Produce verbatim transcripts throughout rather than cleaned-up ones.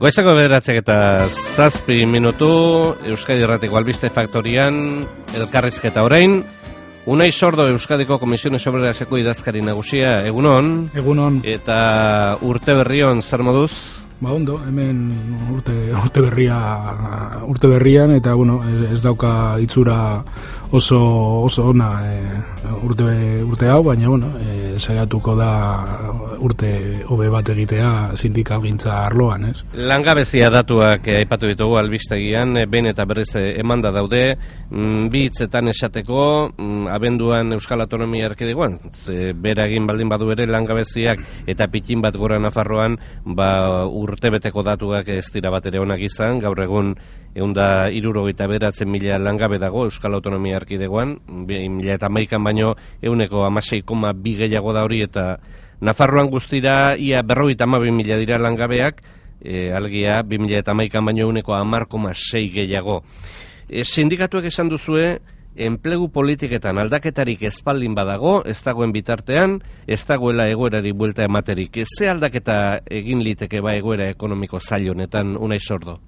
Goizako bederatzek eta zazpi minutu, Euskadi Irratiko Albiste Faktorian, elkarrizketa orain, Unai Sordo Euskadiko Komisiones Obreraseko idazkari nagusia, egunon. Egunon. Eta urte berrion, zer moduz? Ba ondo, hemen urte, urte berria urte berrian eta bueno, ez, ez dauka itzura oso oso ona e, urte urte hau, baina bueno, e, saiatuko da urte hobe bat egitea sindikalgintza arloan, ez? Langabezia datuak eh, aipatu ditugu albistegian, eh, behin eta berriz emanda daude, mm, bi hitzetan esateko, mm, abenduan Euskal Autonomia Erkidegoan, ze bera egin baldin badu ere langabeziak eta pitin bat gora Nafarroan, ba urtebeteko datuak ez dira bat ere onak izan, gaur egun ehun eta hirurogeita bederatzi mila langabe dago Euskal Autonomia Erkidegoan, mila eta hamaikan baino ehuneko hamasei koma bi gehiago da hori, eta Nafarroan guztira ia berrogeita hamabi mila dira langabeak, e, algia bi mila eta hamaikan baino ehuneko hamar koma sei gehiago. E, sindikatuek esan duzue, enplegu politiketan aldaketarik ezpaldin badago, ez dagoen bitartean, ez dagoela egoerari buelta ematerik. Ze aldaketa egin liteke ba egoera ekonomiko zail honetan, Unai Sordo?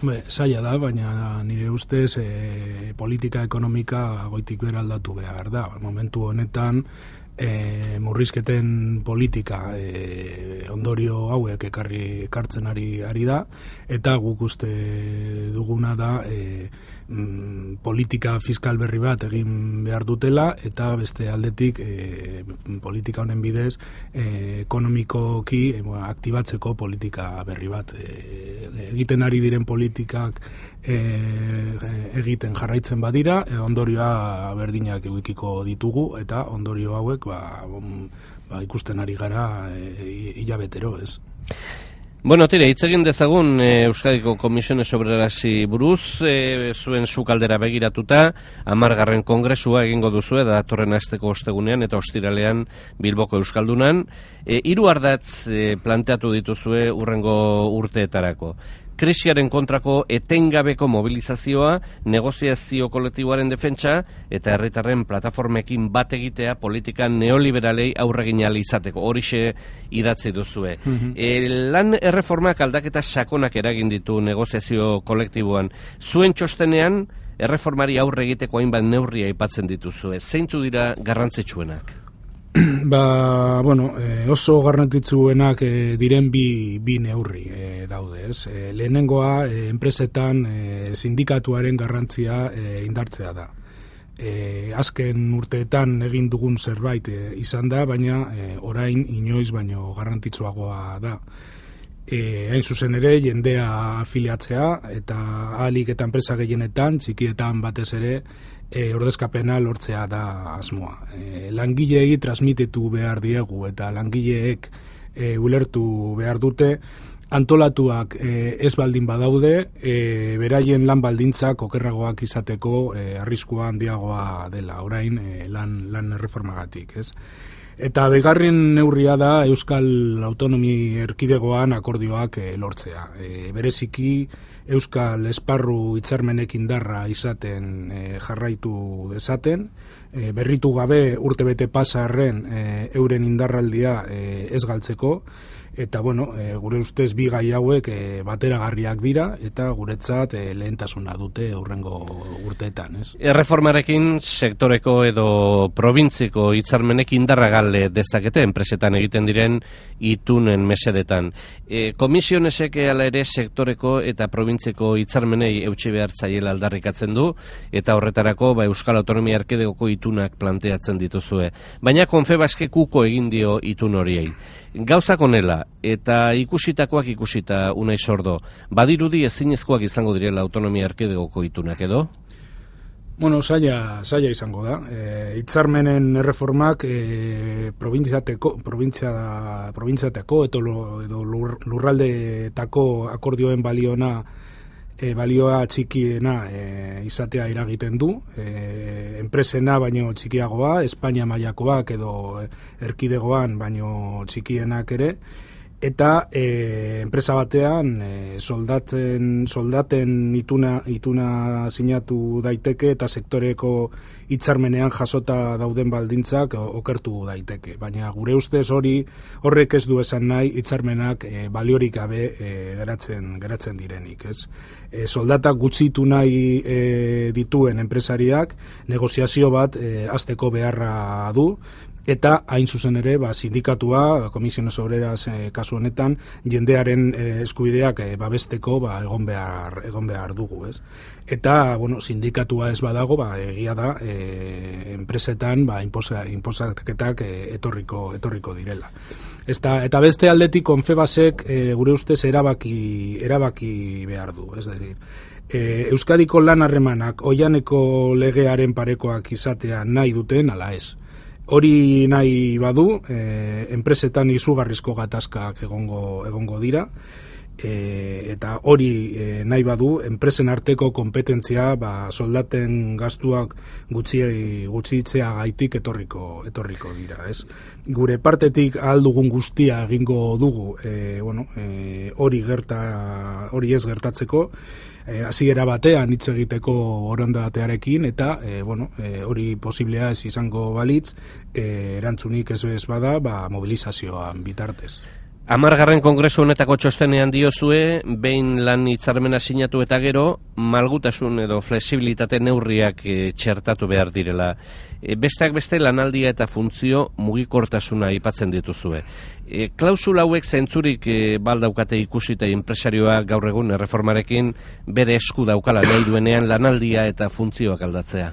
Be, zaila da, baina nire ustez e, politika ekonomika goitik bera aldatu behar da. Momentu honetan e, murrizketen politika e, ondorio hauek ekarri ekartzen ari, ari da, eta guk uste duguna da e, mm, politika fiskal berri bat egin behar dutela, eta beste aldetik e, politika honen bidez e, ekonomikoki e, aktibatzeko politika berri bat e, egiten ari diren politikak e, egiten jarraitzen badira, e, ondorioa berdinak edukiko ditugu, eta ondorio hauek ba, ba, ikusten ari gara e, hilabetero, ez? Bueno, tire, hitz egin dezagun e, Euskadiko Komisiones Obrerasi buruz, e, zuen sukaldera begiratuta, hamargarren kongresua egingo duzue, da datorren asteko ostegunean eta ostiralean Bilboko Euskaldunan. E, hiru ardatz e, planteatu dituzue urrengo urteetarako. Krisiaren kontrako etengabeko mobilizazioa, negoziazio kolektiboaren defentsa eta herritarren plataformekin bat egitea politika neoliberalei aurregin ahal izateko. Horixe idatzi duzue. Mm-hmm. E, lan erreformak aldaketa sakonak eragin ditu negoziazio kolektiboan. Zuen txostenean erreformari aurre egiteko hainbat neurria aipatzen dituzue. Zeintzu dira garrantzitsuenak? Ba, bueno, e, oso garrantzitsuenak e, diren bi, bi neurri e, daude, ez? E, lehenengoa, e, enpresetan e, sindikatuaren garrantzia e, indartzea da. E, azken urteetan egin dugun zerbait e, izan da, baina e, orain inoiz baino garrantzitsuagoa da. E, hain zuzen ere, jendea afiliatzea, eta ahalik eta enpresa gehienetan, txikietan batez ere, E, ordezkapena lortzea da asmoa. E, langileei transmititu behar diegu eta langileek e, ulertu behar dute, antolatuak e, ez baldin badaude, e, beraien lan baldintzak okerragoak izateko e, arriskua handiagoa dela, orain e, lan, lan erreformagatik, ez? Eta bigarren neurria da Euskal Autonomi Erkidegoan akordioak e, lortzea. E, bereziki Euskal Esparru hitzarmenek indarra izaten e, jarraitu dezaten, e, berritu gabe urtebete pasarren e, euren indarraldia e, ez galtzeko, eta bueno, e, gure ustez bi gai hauek e, bateragarriak dira eta guretzat e, lehentasuna dute hurrengo urteetan, ez? Erreformarekin sektoreko edo probintziko hitzarmenek indarra gal dezakete enpresetan egiten diren itunen mesedetan. E, komisionesek ala ere sektoreko eta probintziko hitzarmenei eutsi behar zaiela aldarrikatzen du, eta horretarako ba, Euskal Autonomia Erkidegoko itunak planteatzen dituzue. Baina Confebaskek uko egin dio itun horiei. Gauzak honela, eta ikusitakoak ikusita, Unai Sordo, badirudi ezinezkoak izango direla Autonomia Erkidegoko itunak edo? Bueno, saia, saia izango da. E, hitzarmenen erreformak e, probintziateko, provintzia, probintziateko edo, edo lur, lurraldetako akordioen baliona e, balioa txikiena e, izatea iragiten du. E, enpresena baino txikiagoa, Espainia mailakoak edo erkidegoan baino txikienak ere. eta e, enpresa batean e, soldatzen, soldaten ituna, ituna sinatu daiteke eta sektoreko hitzarmenean jasota dauden baldintzak okertu daiteke. Baina gure ustez hori horrek ez du esan nahi hitzarmenak e, baliorik gabe e, geratzen, geratzen direnik. Ez? E, soldatak gutxitu nahi e, dituen enpresariak negoziazio bat e, hasteko beharra du, eta hain zuzen ere, ba, sindikatua, Comisiones Obreras e, kasu honetan, jendearen e, eskubideak e, babesteko ba, egon behar, egon behar dugu, ez? Eta, bueno, sindikatua ez badago, ba, egia da, e, enpresetan, ba, inposa, inposaketak e, etorriko, etorriko direla. Eta, eta beste aldetik, Confebaskek e, gure ustez erabaki, erabaki behar du, ez decir, e, Euskadiko lan harremanak oianeko legearen parekoak izatea nahi duten, ala ez. Hori nahi badu, e, enpresetan izugarrizko gatazkak egongo, egongo dira, e, eta hori e, nahi badu, enpresen arteko kompetentzia ba, soldaten gastuak gutxi, gutxitzea gaitik etorriko, etorriko dira. Ez? Gure partetik ahal dugun guztia egingo dugu, e, bueno, e, hori gerta, hori ez gertatzeko, hasiera batean hitz egiteko borondatearekin eta e, bueno, e, hori posiblea ez izango balitz, e, erantzunik ez bez bada, ba, mobilizazioan bitartez. Hamargarren kongresu honetako txostenean diozue, behin lan hitzarmena sinatu eta gero, malgutasun edo flexibilitate neurriak e, txertatu behar direla. E, besteak beste lanaldia eta funtzio mugikortasuna aipatzen dituzue. E, klausula hauek zentzurik e, baldaukate ikusita enpresarioa gaur egun erreformarekin bere esku daukala nahi duenean lanaldia eta funtzioak aldatzea.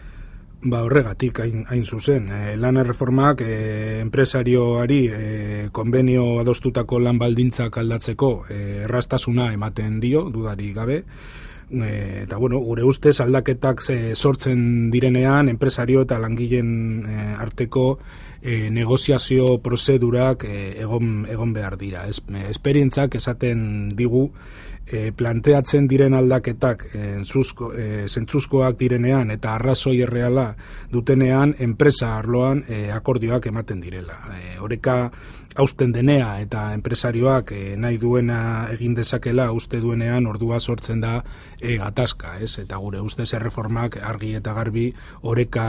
Ba horregatik hain, hain zuzen. E, lan erreformak e, enpresarioari e, konbenio adostutako lan baldintzak aldatzeko e, erraztasuna ematen dio, dudari gabe. E, eta bueno, gure ustez aldaketak e, sortzen direnean enpresario eta langileen e, arteko e, negoziazio prozedurak e, egon, egon behar dira. Ez, e, esperientzak esaten digu E, planteatzen diren aldaketak entzuzko, e, zentzuzkoak direnean eta arrazoi erreala dutenean enpresa arloan e, akordioak ematen direla. E, oreka hausten denea eta enpresarioak e, nahi duena egin dezakela uste duenean ordua sortzen da e, gatazka, ez? Eta gure ustez erreformak argi eta garbi oreka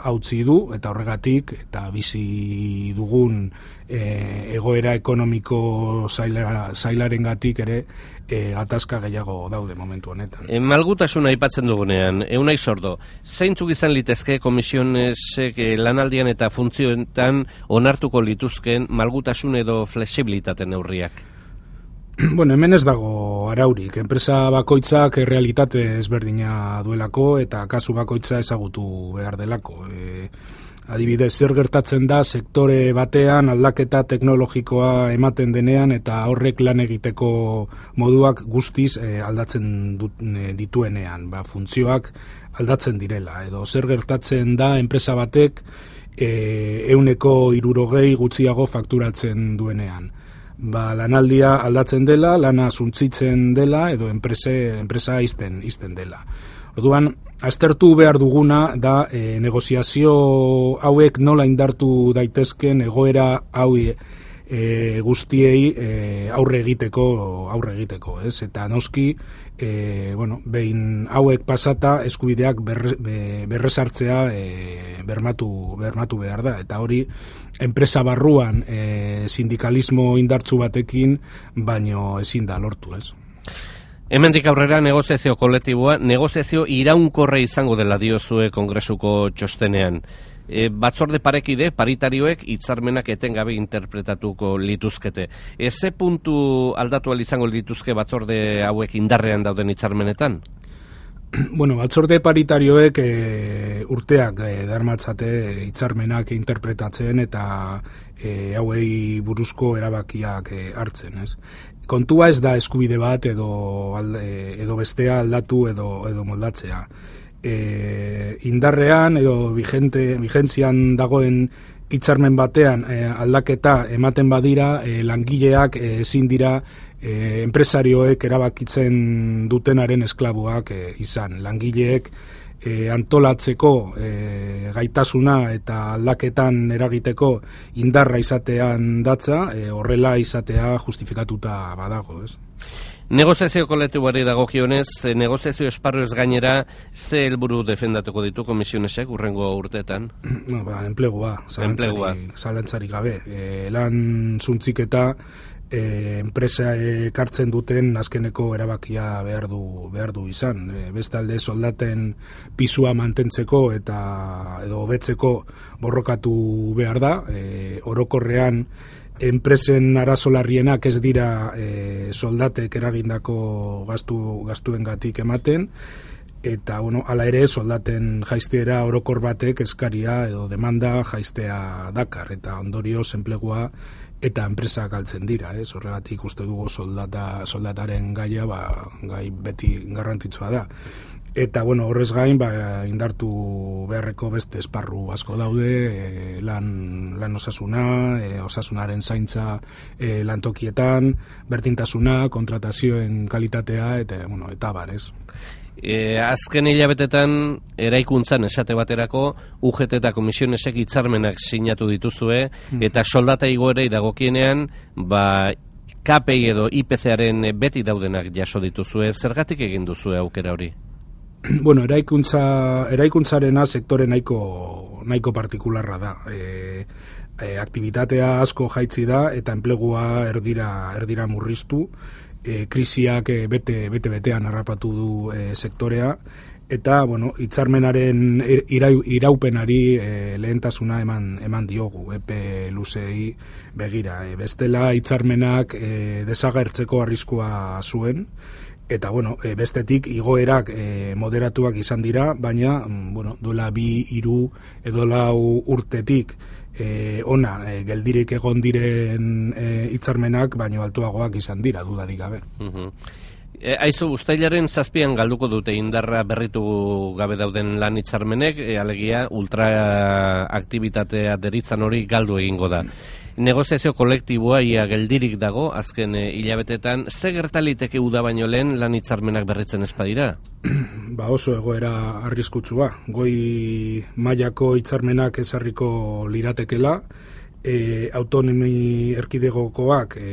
hautzi du eta horregatik eta bizi dugun e, egoera ekonomiko zaila, zailarengatik ere e, gatazka gehiago daude momentu honetan. E, malgutasuna aipatzen dugunean, Unai Sordo, zeintzuk izan litezke komisionesek e, lanaldian eta funtzioetan onartuko lituzken malgutasun edo flexibilitate neurriak? Bueno, hemen ez dago araurik. Enpresa bakoitzak realitate ezberdina duelako eta kasu bakoitza ezagutu behar delako. E, Adibidez, zer gertatzen da sektore batean aldaketa teknologikoa ematen denean eta horrek lan egiteko moduak guztiz e, aldatzen dut, e, dituenean, ba, funtzioak aldatzen direla. Edo zer gertatzen da enpresa batek e, ehuneko hirurogei gutxiago fakturatzen duenean. Ba, lanaldia aldatzen dela, lana suntzitzen dela edo enprese, enpresa izten, izten dela. Orduan, aztertu behar duguna da e, negoziazio hauek nola indartu daitezken egoera hau e, guztiei e, aurre egiteko, aurre egiteko, ez? Eta noski, e, bueno, behin hauek pasata eskubideak berre, berresartzea e, bermatu, bermatu behar da. Eta hori, enpresa barruan e, sindikalismo indartsu batekin, baino ezin da lortu, ez? Hemendik aurrera negoziazio kolektiboa, negoziazio iraunkorra izango dela diozue kongresuko txostenean. E, batzorde parekide, paritarioek hitzarmenak etengabe interpretatuko lituzkete. E, ze puntu aldatu ahal izango lituzke batzorde hauek indarrean dauden hitzarmenetan? Bueno, batzorde paritarioek e, urteak e, darmatzate hitzarmenak interpretatzen eta e, hauei buruzko erabakiak e, hartzen, ez? Kontua ez da eskubide bat edo, edo bestea aldatu edo, edo moldatzea. E, indarrean edo vigente, vigentzian dagoen hitzarmen batean e, aldaketa ematen badira, e, langileak ezin dira e, enpresarioek erabakitzen dutenaren esklabuak e, izan. Langileek e, antolatzeko e, gaitasuna eta aldaketan eragiteko indarra izatean datza, e, horrela izatea justifikatuta badago, ez? Negoziazio kolektiboari dagokionez, negoziazio esparru ez gainera, ze helburu defendatuko ditu komisionesek urrengo urteetan? No, ba, enplegua, zalantzarik, zalantzarik gabe. E, lan zuntziketa e, enpresa ekartzen duten azkeneko erabakia behar du, behar du izan. E, bestalde soldaten pisua mantentzeko eta edo hobetzeko borrokatu behar da. E, orokorrean enpresen arazo larrienak ez dira e, soldatek eragindako gastu gastuengatik ematen, eta bueno, hala ere soldaten jaisteera orokor batek eskaria edo demanda jaistea dakar, eta ondorioz enplegua eta enpresa galtzen dira, ez? Horregatik uste dugu soldata soldataren gaia ba, gai beti garrantzitsua da. Eta, bueno, horrez gain, ba, indartu beharreko beste esparru asko daude, e, lan, lan osasuna, e, osasunaren zaintza e, lantokietan, berdintasuna, kontratazioen kalitatea, eta, bueno, eta bar, ez? E, azken hilabetetan, eraikuntzan esate baterako, U G T eta komisionesek hitzarmenak sinatu dituzue, mm. eta soldata igoerei dagokienean, ba, K P I edo I P C-aren beti daudenak jaso dituzue, zergatik egin duzue aukera hori? Bueno, eraikuntza, eraikuntzarena sektore nahiko, nahiko partikularra da. E, e, aktibitatea asko jaitzi da eta enplegua erdira, erdira murriztu. E, krisiak e, bete, bete betean harrapatu du e, sektorea. Eta, bueno, hitzarmenaren irau, iraupenari e, lehentasuna eman, eman diogu, epe luzei begira. E, bestela hitzarmenak e, desagertzeko arriskua zuen. Eta, bueno, e, bestetik igoerak e, moderatuak izan dira, baina, bueno, duela bi, hiru edo lau urtetik e, ona e, geldirik egon diren hitzarmenak, e, baino altuagoak izan dira, dudarik gabe. Uh-huh. E, aizu, uztailaren zazpian galduko dute indarra berritu gabe dauden lan hitzarmenek, e, alegia ultraaktibitatea deritzan hori galdu egingo da. Negoziazio kolektiboa ia geldirik dago, azken e, hilabetetan, ze gertaliteke uda baino lehen lan hitzarmenak berritzen espadira? Ba oso egoera arriskutsua. Goi mailako hitzarmenak ezarriko liratekela, e, autonomi erkidegokoak e,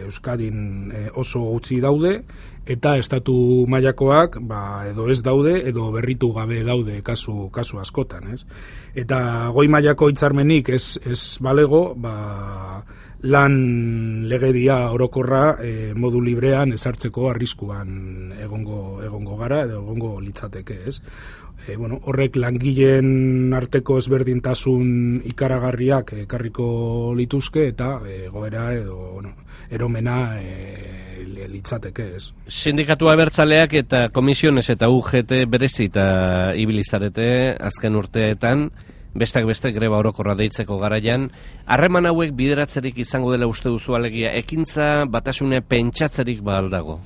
Euskadin e, oso gutxi daude, eta estatu mailakoak ba, edo ez daude, edo berritu gabe daude kasu, kasu askotan, ez? Eta goi mailako hitzarmenik ez, ez balego, ba, lan legedia orokorra e, modu librean ezartzeko arriskuan egongo, egongo gara, edo egongo litzateke, ez? E, bueno, horrek langileen arteko ezberdintasun ikaragarriak ekarriko lituzke, eta egoera edo bueno, eromena e, litzateke, ez. Sindikatua abertzaleak eta komisiones eta U G T berezita ibilizarete azken urteetan, besteak beste greba orokorra deitzeko garaian, harreman hauek bideratzerik izango dela uste duzu alegia, ekintza batasune pentsatzerik baldago?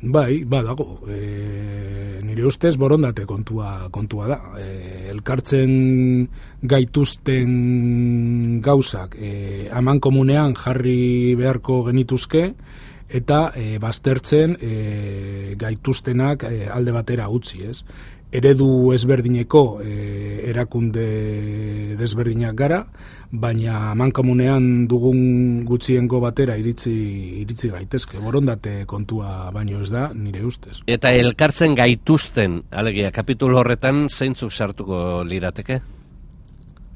Bai, badago. E, nire ustez borondate kontua, kontua da. E, elkartzen gaituzten gauzak e, aman komunean jarri beharko genituzke, eta e, baztertzen e, gaituztenak e, alde batera utzi, ez? Eredu ezberdineko e, erakunde desberdinak gara, baina mankomunean dugun gutxiengo batera iritzi, iritzi gaitezke. Borondate kontua baino ez da, nire ustez. Eta elkartzen gaituzten, alegia, kapitulu horretan zeintzuk sartuko lirateke?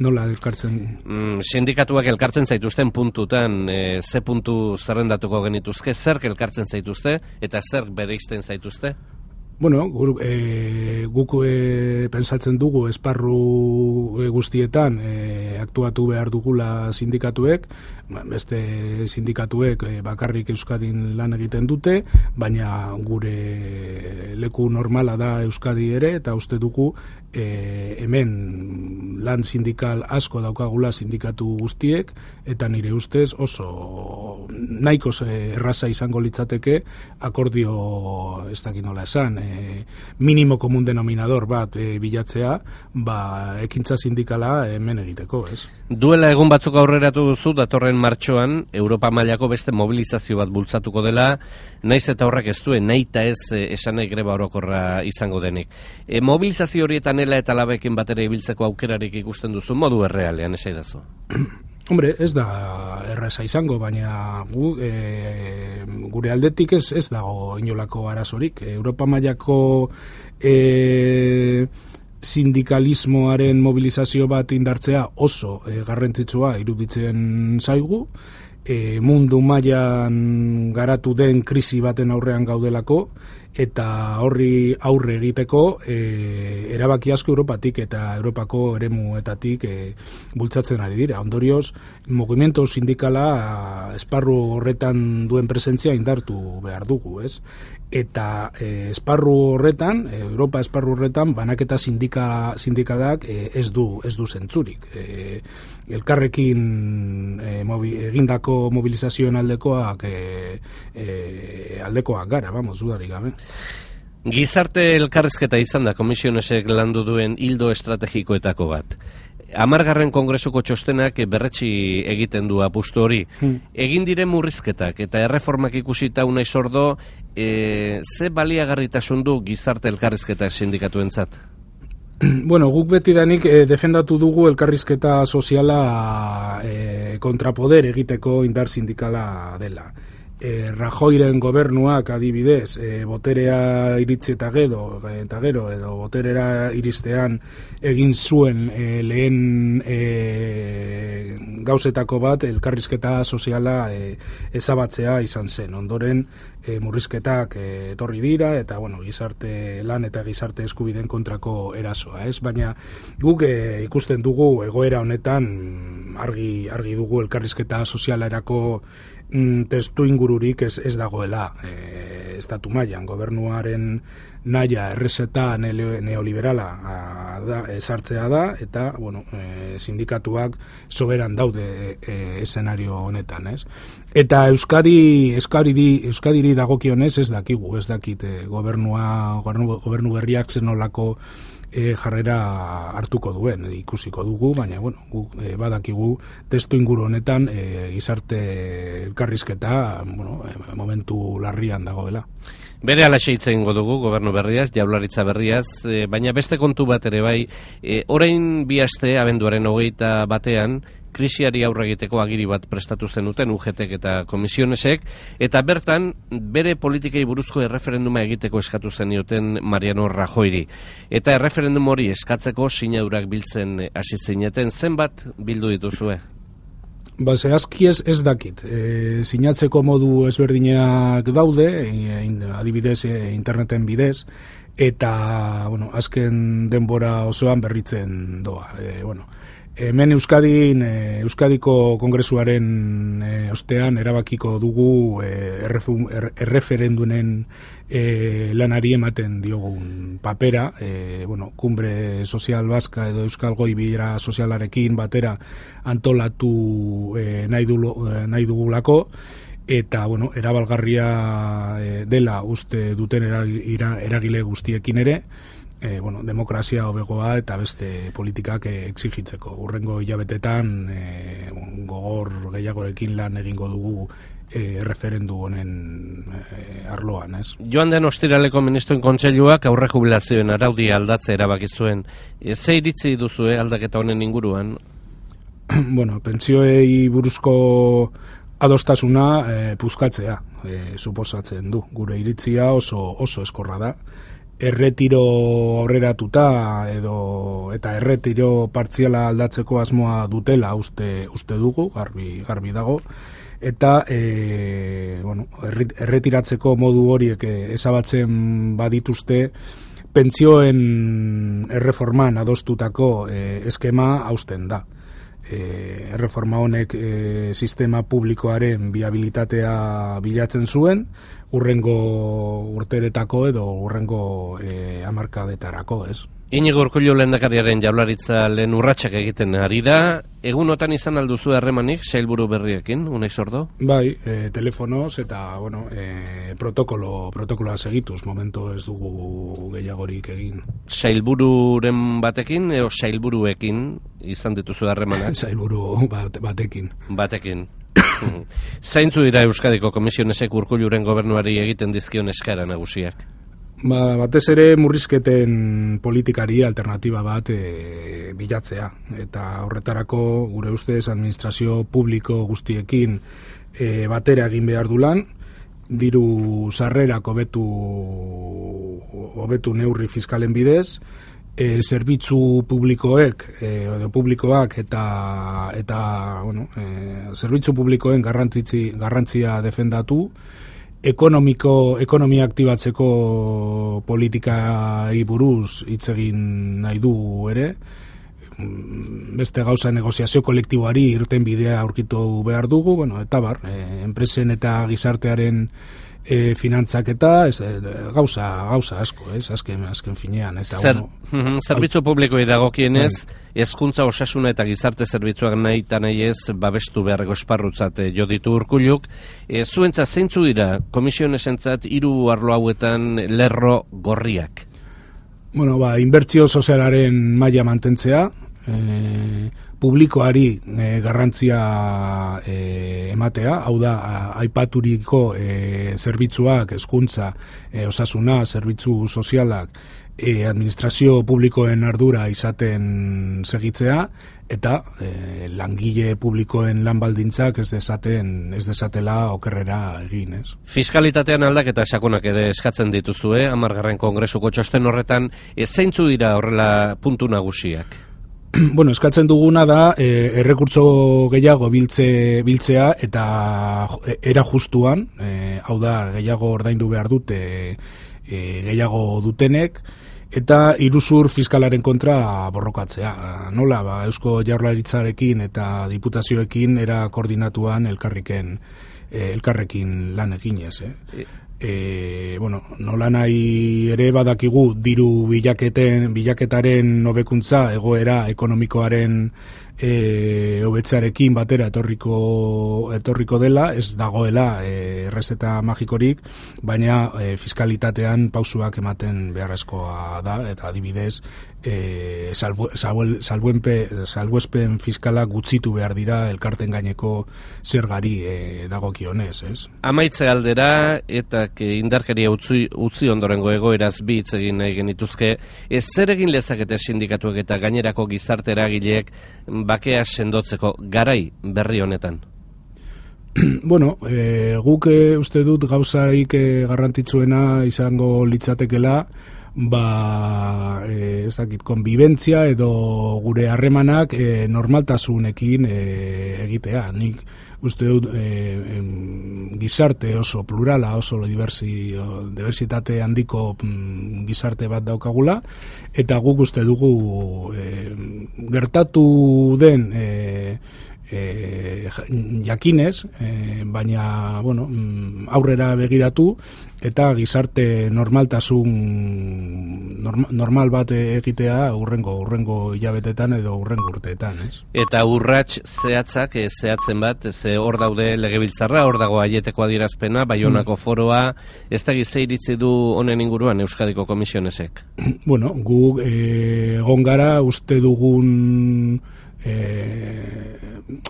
Nola elkartzen? Mm, sindikatuak elkartzen zaituzten puntutan, e, ze puntu zerrendatuko genituzke, zerk elkartzen zaituzte, eta zerk bereizten zaituzte? Bueno, guk, e, guk e, pensatzen dugu esparru e, guztietan e, aktuatu behar dugula sindikatuek, beste sindikatuek e, bakarrik Euskadin lan egiten dute, baina gure leku normala da Euskadi ere, eta uste dugu e, hemen lan sindikal asko daukagula sindikatu guztiek, eta nire ustez oso nahiko erraza izango litzateke akordio ez dakit nola esan, e, minimo komun denominador bat e, bilatzea, ba, ekintza sindikala hemen egiteko, ez? Duela egun batzuk aurreratu duzu, datorren martxoan, Europa mailako beste mobilizazio bat bultzatuko dela, naiz eta horrek ez duen, nahi eta ez esan nahi greba orokorra izango denik. E, mobilizazio horietan ela eta labekin batera ibiltzeko aukerarik ikusten duzu, modu errealean, esaidazu? Hombre, ez da erresa izango, baina gu, e, gure aldetik ez, ez dago inolako arazorik. Europa mailako e, sindikalismoaren mobilizazio bat indartzea oso e, garrantzitsua iruditzen zaigu, e, mundu mailan garatu den krisi baten aurrean gaudelako, eta horri aurre egiteko e, erabaki asko Europatik eta Europako eremuetatik e, bultzatzen ari dira. Ondorioz, mugimendu sindikala esparru horretan duen presentzia indartu behar dugu, ez? Eta e, esparru horretan, Europa esparru horretan, banaketa sindika, sindikalak e, ez du ez du zentzurik. E, elkarrekin e, mobi, egindako mobilizazioen aldekoak e, e, aldekoak gara, vamos, dudarik gabe. Gizarte elkarrizketa izan da komisionesek landu duen hildo estrategikoetako bat. Hamargarren kongresuko txostenak berretsi egiten du apustu hori. Hmm. Egin diren murrizketak eta erreformak ikusita unai sordo, e, ze baliagarritasun du gizarte elkarrizketa sindikatuentzat? Bueno, guk betidanik e, defendatu dugu elkarrizketa soziala e, kontrapoder egiteko indar sindikala dela. E, Rajoyren gobernuak adibidez, e, boterea iritzi eta gero, eta gero edo boterera iristean egin zuen e, lehen e, gauzetako bat elkarrizketa soziala e, ezabatzea izan zen. Ondoren e, murrizketak e, etorri dira eta bueno, gizarte lan eta gizarte eskubideen kontrako erasoa, ez? Baina guk e, ikusten dugu egoera honetan argi argi dugu elkarrizketa sozialerako testu ingururik ez, ez dagoela e, estatu mailan. Gobernuaren naia errezeta neoliberala a, da, esartzea da eta bueno, e, sindikatuak soberan daude e, eszenario honetan, ez? Eta Euskadi Euskadiri Euskadiri dagokionez ez dakigu, ez dakit e, gobernua gobernu, gobernu berriak zenolako E, jarrera hartuko duen, e, ikusiko dugu, baina bueno, guk e, badakigu testu inguru honetan e, gizarte elkarrizketa bueno, e, momentu larrian dagoela. Bere alaxe hitz egingo dugu gobernu berriaz, jaurlaritza berriaz, e, baina beste kontu bat ere bai, e, orain bi aste abenduaren hogeita batean, krisiari aurre egiteko agiri bat prestatu zenuten U G T eta komisionesek, eta bertan bere politikei buruzko erreferenduma egiteko eskatu zenioten Mariano Rajoyri. Eta erreferendum hori eskatzeko sinadurak biltzen hasi zineten, zenbat bildu dituzue? Ba, zehazki ez, ez dakit. E, sinatzeko modu ezberdinak daude, e, adibidez e, interneten bidez, eta bueno, azken denbora osoan berritzen doa. E, bueno, hemen Euskadin, e, Euskadiko Kongresuaren e, ostean erabakiko dugu e, erreferendunen e, lanari ematen diogun papera, e, bueno, Kumbre Sozial Baska edo Euskal Goi Bilera Sozialarekin batera antolatu e, nahi, du, nahi dugulako, eta bueno, erabalgarria e, dela uste duten eragile guztiekin ere, E, bueno, demokrazia hobegoa eta beste politikak e, exigitzeko. Hurrengo hilabetetan e, gogor gehiagorekin lan egingo dugu e, referendu honen e, arloan, ez? Joan den ostiraleko ministroen kontseiluak aurre jubilazioen araudia aldatze erabaki zuen. E, ze iritzi duzue aldaketa honen inguruan? Bueno, pentsioei buruzko adostasuna e, puskatzea e, suposatzen du. Gure iritzia oso oso eskorra da. Erretiro aurreratuta edo eta erretiro partziala aldatzeko asmoa dutela uste uste dugu, garbi garbi dago, eta e, bueno, erretiratzeko modu horiek ezabatzen badituzte pentsioen erreforman adostutako e, eskema hausten da. E, erreforma honek e, sistema publikoaren viabilitatea bilatzen zuen, urrengo urteretako edo urrengo e, hamarkadetarako, ez? Iñigo Urkullu lehendakariaren jaurlaritza lehen urratsak egiten ari da, egunotan izan alduzu harremanik sailburu berriekin, Unai Sordo? Bai, e, telefonoz eta, bueno, e, protokolo, protokoloa segituz, momento ez dugu gehiagorik egin. Sailbururen batekin, eo sailburuekin izan dituzu harremanak? Sailburu bat, batekin. Batekin. Zaintzu dira Euskadiko Komisionesek Urkulluren gobernuari egiten dizkion eskaera nagusiak? Ba, batez ere murrizketen politikari alternatiba bat e, bilatzea. Eta horretarako gure ustez administrazio publiko guztiekin e, batera egin behar du lan, diru sarrerak hobetu hobetu neurri fiskalen bidez, e, zerbitzu publikoek e, edo publikoak eta eta bueno, e, zerbitzu publikoen garrantzi garrantzia defendatu, ekonomiko ekonomia aktibatzeko politikai buruz hitz egin nahi du ere, beste gauza negoziazio kolektiboari irten bidea aurkitu behar dugu, bueno, eta bar, e, enpresen eta gizartearen e, finantzak eta ez, e, gauza, gauza asko, ez, azken, azken finean. Eta, Zer, bueno, zerbitzu publikoi dagokienez, hezkuntza osasuna eta gizarte zerbitzuak nahi eta nahi ez babestu beharreko esparrutzat jo ditu Urkulluk. E, zuentza zeintzu dira komisionesentzat hiru arlo hauetan lerro gorriak? Bueno, ba, inbertsio sozialaren maila mantentzea, e, publikoari e, garrantzia e, ematea, hau da, a, aipaturiko e, zerbitzuak, hezkuntza, e, osasuna, zerbitzu sozialak, e, administrazio publikoen ardura izaten segitzea, eta e, langile publikoen lan baldintzak ez dezaten, ez dezatela okerrera egin, ez. Fiskalitatean aldaketa sakonak ere eskatzen dituzue, hamargarren kongresuko txosten horretan, e, zeintzu dira horrela puntu nagusiak? Bueno, eskatzen duguna da e, errekurtso gehiago biltze, biltzea eta era justuan, e, hau da gehiago ordaindu behar dute e, gehiago dutenek, eta iruzur fiskalaren kontra borrokatzea. Nola, ba, Eusko Jaurlaritzarekin eta diputazioekin era koordinatuan elkarriken, e, elkarrekin lan eginez, eh? E, bueno, nola nahi ere badakigu diru bilaketen, bilaketaren hobekuntza egoera ekonomikoaren e, hobetzearekin batera etorriko, etorriko dela, ez dagoela e, errezeta magikorik, baina e, fiskalitatean pausuak ematen beharrezkoa da, eta adibidez e, salbu, salbu, salbuenpe, salbuespen fiskala gutxitu behar dira elkarten gaineko zergari e, dagokionez, ez? Amaitze aldera eta indarkeria utzi, utzi ondorengo egoeraz bi hitz egin nahi genituzke, ez zer egin lezakete sindikatuek eta gainerako gizarte eragileek bakea sendotzeko garai berri honetan? Bueno, e, guk e, uste dut gauzarik e, garrantzitsuena izango litzatekela, ba, e, ez dakit, konbibentzia edo gure harremanak e, normaltasunekin e, egitea. Nik uste dut e, gizarte oso plurala, oso diversi, diversitate handiko mm, gizarte bat daukagula, eta guk uste dugu e, gertatu den e, E, jakinez, e, baina bueno, aurrera begiratu eta gizarte normaltasun norma, normal bat egitea urrengo urrengo hilabetetan edo urrengo urteetan, ez? Eta urrats zehatzak, e, zehatzen bat, ze hor daude legebiltzarra, hor dago aieteko adierazpena, Baionako mm. foroa, ez da gize iritzi du honen inguruan Euskadiko Komisionesek? Bueno, gu egon e, gara uste dugun E,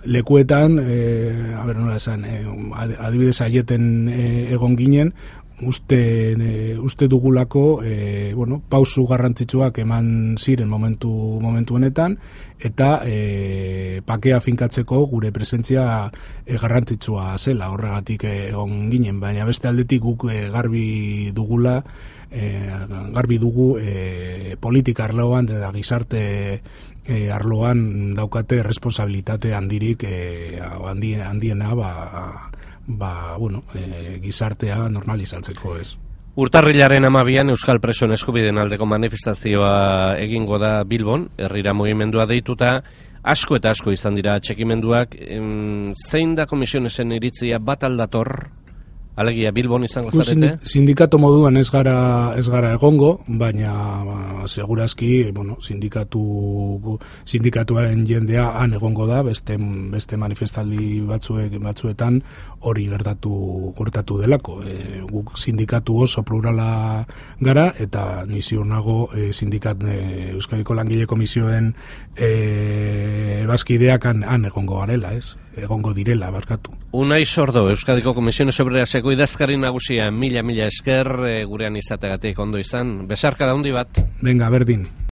lekuetan e, a ber, nola esan, e, adibidez aieten e, egon ginen, uste, e, uste dugulako e, bueno, pausu garrantzitsuak eman ziren momentu, momentu honetan, eta e, pakea finkatzeko gure presentzia e, garrantzitsua zela, horregatik egon ginen, baina beste aldetik guk e, garbi dugula, e, garbi dugu e, politika arloan eta gizarte E, arloan daukate responsabilitate handirik e, handien, handiena ba, ba, bueno, e, gizartea normalizatzeko, ez. Urtarrilaren hamabian Euskal Presoen eskubideen aldeko manifestazioa egingo da Bilbon, herrira mugimendua deituta, asko eta asko izan dira atxekimenduak. Zein da Komisionesen iritzia, bat aldator Alegia Bilbon izango Gu zarete? Sindikato moduan ez gara ez gara egongo, baina ba, segurazki, bueno, sindikatu sindikatuaren jendea han egongo da, beste beste manifestaldi batzuek batzuetan hori gertatu gertatu delako. E, guk sindikatu oso plurala gara eta ni ziur nago e, sindikat e, Euskadiko Langile Komisioen e, bazkideak han, han egongo garela, ez? Egongo direla, barkatu. Unai Sordo, Euskadiko Komisiones Obreraseko idazkari nagusia, mila mila esker e, gurean izategatik ondo izan. Besarka da handi bat. Venga, berdin.